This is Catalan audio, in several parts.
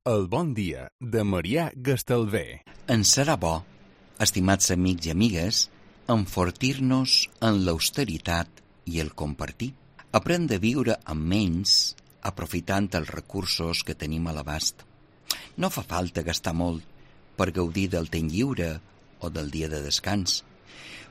El bon dia de Marià Gastalver. En serà bo, estimats amics i amigues, enfortir-nos en l'austeritat i el compartir. Aprendre a viure amb menys, aprofitant els recursos que tenim a l'abast. No fa falta gastar molt per gaudir del temps lliure o del dia de descans.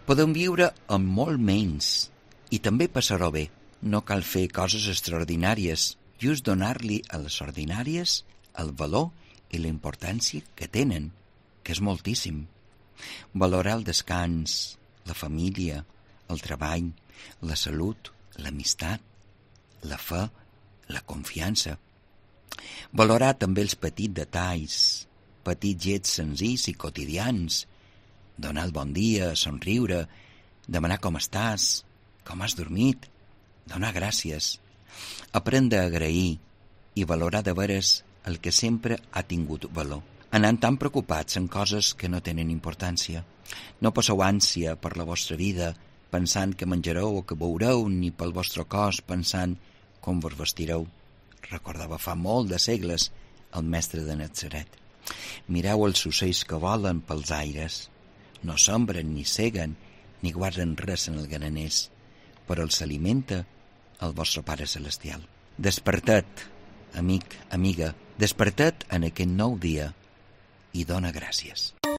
Podem viure amb molt menys i també passar-ho bé. No cal fer coses extraordinàries, just donar-li a les ordinàries el valor i la importància que tenen, que és moltíssim. Valorar el descans, la família, el treball, la salut, l'amistat, la fe, la confiança. Valorar també els petits detalls, petits gets senzills i quotidians, donar el bon dia, somriure, demanar com estàs, com has dormit, donar gràcies, aprendre a agrair i valorar de veres el que sempre ha tingut valor, anant tan preocupats en coses que no tenen importància. No passeu ànsia per la vostra vida pensant que menjareu o que beureu, ni pel vostre cos pensant com vos vestireu. Recordava fa molt de segles el mestre de Natzaret. Mireu els ocells que volen pels aires. No sembren, ni seguen, ni guarden res en el graners, però els alimenta el vostre Pare Celestial. Desperta't, amic, amiga, desperta't en aquest nou dia i dona gràcies.